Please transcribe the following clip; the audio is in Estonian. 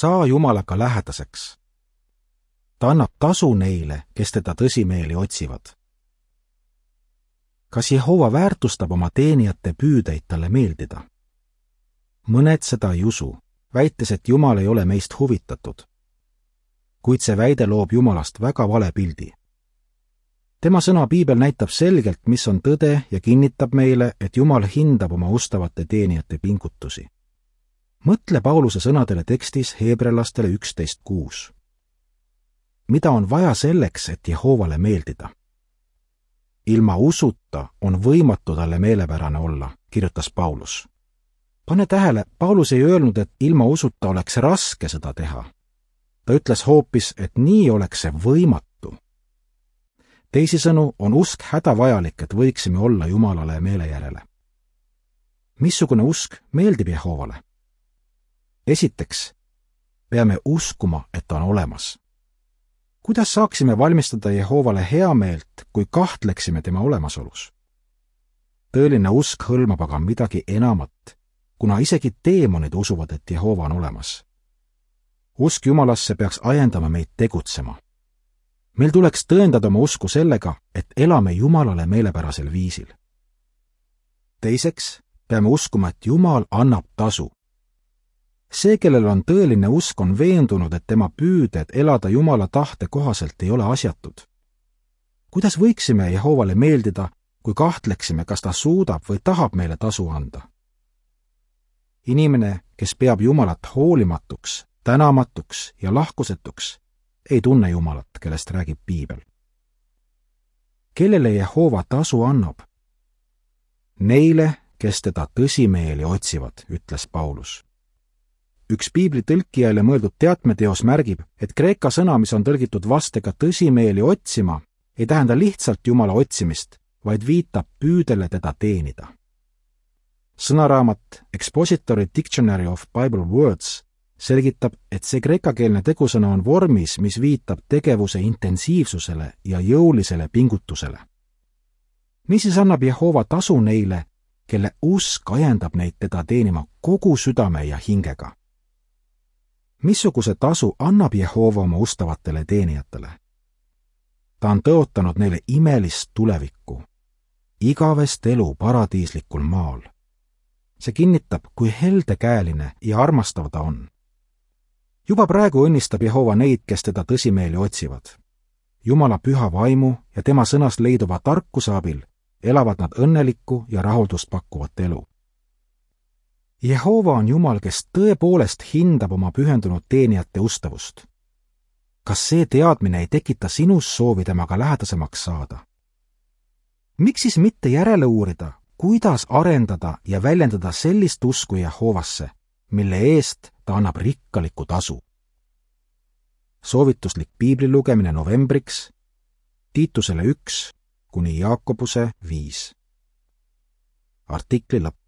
saa Jumalaga lähedaseks. Ta annab tasu neile, kes teda tõsimeeli otsivad. Kas Jehova väärtustab oma teenijate püüdeid talle meeldida? Mõned seda ei usu, väites, et Jumal ei ole meist huvitatud. Kuid see väide loob Jumalast väga vale pildi. Tema sõna Piibel näitab selgelt, mis on tõde ja kinnitab meile, et Jumal hindab oma ustavate teenijate pingutusi. Mõtle Pauluse sõnadele tekstis Heebrealastele 11:6. Mida on vaja selleks, et Jehovale meeldida? Ilma usuta on võimatu talle meelepärane olla, kirjutas Paulus. Pane tähele, Paulus ei öelnud, et ilma usuta oleks raske seda teha. Ta ütles hoopis, et nii oleks see võimatu. Teisisõnu on usk hädavajalik, et võiksime olla Jumalale meele järele. Missugune usk meeldib Jehovale? Esiteks, peame uskuma, et ta on olemas. Kuidas saaksime valmistada Jehovale heameelt, kui kahtleksime tema olemasolus? Tõeline usk hõlmab aga midagi enamat, kuna isegi teemonid usuvad, et Jehova on olemas. Usk Jumalasse peaks ajendama meid tegutsema. Meil tuleks tõendada oma usku sellega, et elame Jumalale meelepärasel viisil. Teiseks, peame uskuma, et Jumal annab tasu. See, kellel on tõeline usk, on veendunud, et tema püüded elada Jumala tahte kohaselt ei ole asjatud. Kuidas võiksime Jehovale meeldida, kui kahtleksime, kas ta suudab või tahab meile tasu anda? Inimene, kes peab Jumalat hoolimatuks, tänamatuks ja lahkusetuks, ei tunne Jumalat, kellest räägib Piibel. Kellele Jehova tasu annab? Neile, kes teda tõsimeeli otsivad, ütles Paulus. Üks Piibli tõlkijaile mõeldud teatmeteos märgib, et kreeka sõna, mis on tõlgitud vastega tõsimeeli otsima, ei tähenda lihtsalt Jumala otsimist, vaid viitab püüdele teda teenida. Sõnaraamat Expository Dictionary of Bible Words selgitab, et see kreekakeelne tegusõna on vormis, mis viitab tegevuse intensiivsusele ja jõulisele pingutusele. Niisiis annab Jehova tasu neile, kelle usk ajendab neid teda teenima kogu südame ja hingega. Missuguse tasu annab Jehova oma ustavatele teenijatele? Ta on tõotanud neile imelist tulevikku, igavest elu paradiislikul maal. See kinnitab, kui heldekäeline ja armastav ta on. Juba praegu õnnistab Jehova neid, kes teda tõsimeeli otsivad. Jumala püha vaimu ja tema sõnast leiduva tarkuse abil elavad nad õnnelikku ja rahuldust pakkuvat elu. Jehova on Jumal, kes tõepoolest hindab oma pühendunud teenijate ustavust. Kas see teadmine ei tekita sinus soovi temaga lähedasemaks saada? Miks siis mitte järele uurida, kuidas arendada ja väljendada sellist usku Jehovasse, mille eest ta annab rikkalikku tasu? Soovituslik piibli lugemine novembriks, Tiitusele 1 kuni Jaakobuse 5. Artikli lõpp.